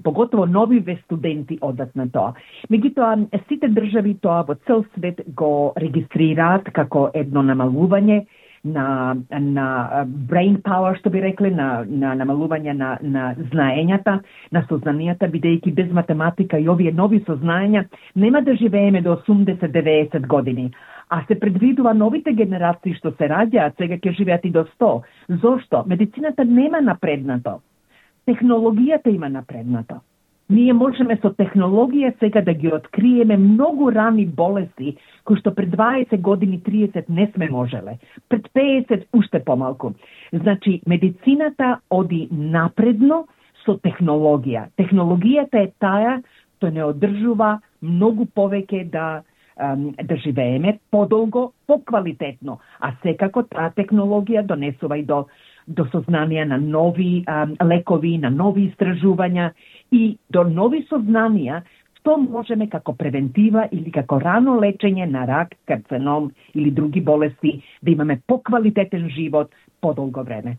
поготово новиве студенти одат на тоа. Меѓутоа, сите држави тоа во цел свет го регистрираат како едно намалување на brain power, што би рекле, на намалување на знаењата, на сознанијата, бидејќи без математика и овие нови сознања нема да живееме до 80-90 години. А се предвидува новите генерации што се раѓаат, сега ќе живеат и до 100. Зошто? Медицината нема напреднато. Технологијата има напреднато. Ние можеме со технологија сега да ги откриеме многу рани болести, кои што пред 20 години, 30 не сме можеле. Пред 50 уште помалку. Значи, медицината оди напредно со технологија. Технологијата е таа што не одржува многу повеќе да живееме подолго, поквалитетно. А секако таа технологија донесува и до сознанија на нови лекови, на нови истражувања и до нови сознанија што можеме како превентива или како рано лечење на рак, карцином или други болести да имаме поквалитетен живот подолго време.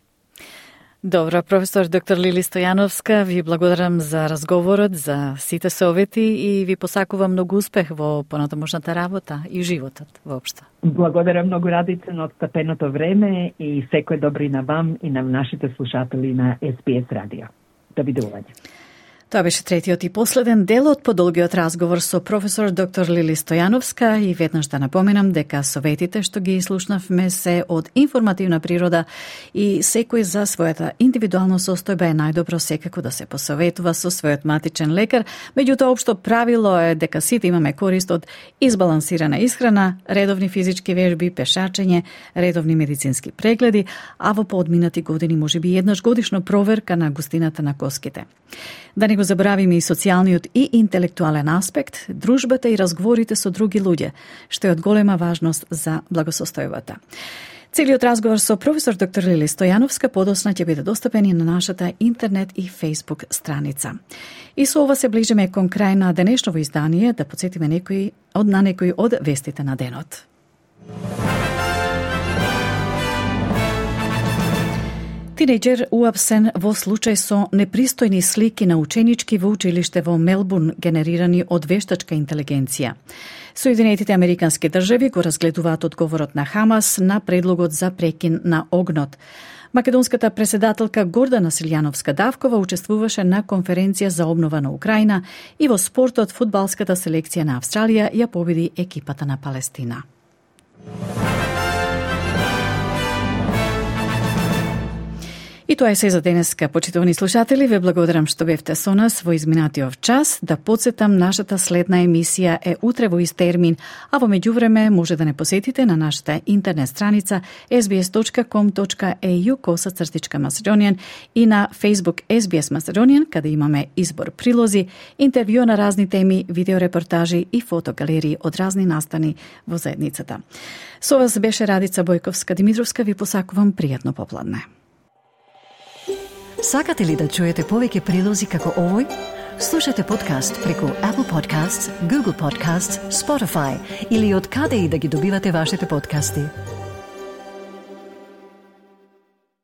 Добро, професор доктор Лили Стојановска, ви благодарам за разговорот, за сите совети и ви посакувам многу успех во понатамошната работа и животот воопшто. Благодарам многу, Радице, на отстапеното време и секој добри на вам и на нашите слушатели на SBS радио. Довидување. Тоа беше третиот и последен дел од подолгиот разговор со професор доктор Лили Стојановска и веднаш да напоменам дека советите што ги слушнавме се од информативна природа и секој за својата индивидуална состојба е најдобро секако да се посоветува со својот матичен лекар, меѓутоа општо правило е дека сите имаме корист од избалансирана исхрана, редовни физички вежби, пешачење, редовни медицински прегледи, а во поодминати години можеби еднаш годишно проверка на густината на коските. Да не го забравиме и социјалниот и интелектуален аспект, дружбата и разговорите со други луѓе, што е од голема важност за благосостојбата. Целиот разговор со професор доктор Лили Стојановска подосна ќе биде достапен и на нашата интернет и Facebook страница. И со ова се ближиме кон крај на денешново издание, да подсетиме некои од вестите на денот. Тинејџер уапсен во случај со непристојни слики на ученички во училиште во Мелбурн генерирани од вештачка интелигенција. Соединетите Американски држави го разгледуваат одговорот на Хамас на предлогот за прекин на огнот. Македонската преседателка Гордана Силјановска-Давкова учествуваше на конференција за обнова на Украина и во спортот фудбалската селекција на Австралија ја победи екипата на Палестина. И тоа е се за денеска, почитувани слушатели. Ве благодарам што бевте со нас во изминатиот час. Да подсетам, нашата следна емисија е утре во ист термин, а во меѓувреме може да не посетите на нашата интернет страница sbs.com.au/Macedonian и на Facebook SBS Macedonian, каде имаме избор прилози, интервју на разни теми, видеорепортажи и фотогалерии од разни настани во заедницата. Со вас беше Радица Бојковска-Димитровска. Ви посакувам пријатно попладне. Сакате ли да чуете повеќе прилози како овој? Слушате подкаст преку Apple Podcasts, Google Podcasts, Spotify или од каде и да ги добивате вашите подкасти.